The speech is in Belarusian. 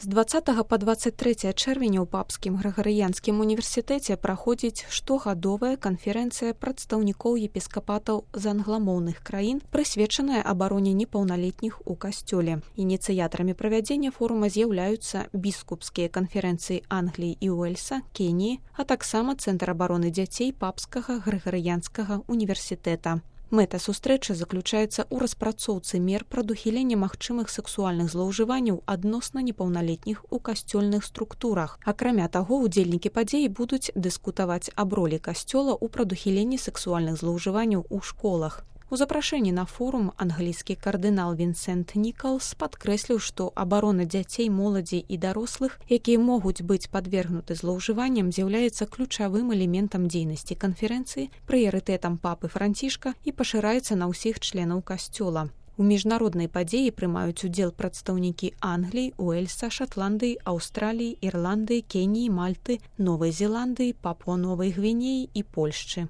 З 20 па 23 чэрвеня ў Папскім Грыгарыянскім універсітэце праходзіць штогадовая канферэнцыя прадстаўнікоў епіскапатаў з англамоўных краін, прысвечаная абароне непаўналетніх у касцёле. Ініцыятарамі правядзення форума з'яўляюцца біскупскія канферэнцыі Англіі і Уэльса, Кеніі, а таксама Цэнтр абароны дзяцей Папскага Грыгарыянскага універсітэта. Мэта сустрэчы заключаецца ў распрацоўцы мер прадухілення магчымых сексуальных злоўжыванняў адносна непаўналетніх у касцёльных структурах. Акрамя таго, удзельнікі падзеі будуць дыскутаваць аб ролі касцёла ў прадухіленні сексуальных злоўжыванняў у школах. У запрашэнні на форум англійскі кардынал Вінсент Нікалс падкрэсліў, што абарона дзяцей, моладзі і дарослых, якія могуць быць падвергнуты злоўжыванням, з'яўляецца ключавым элементам дзейнасці канферэнцыі, прыярытэтам папы Францішка і пашыраецца на ўсіх членаў касцёла. У міжнароднай падзеі прымаюць удзел прадстаўнікі Англіі, Уэльса, Шатландыі, Аўстраліі, Ірландыі, Кеніі, Мальты, Новай Зеландыі, Папуа-Новай Гвінеі і Польшчы.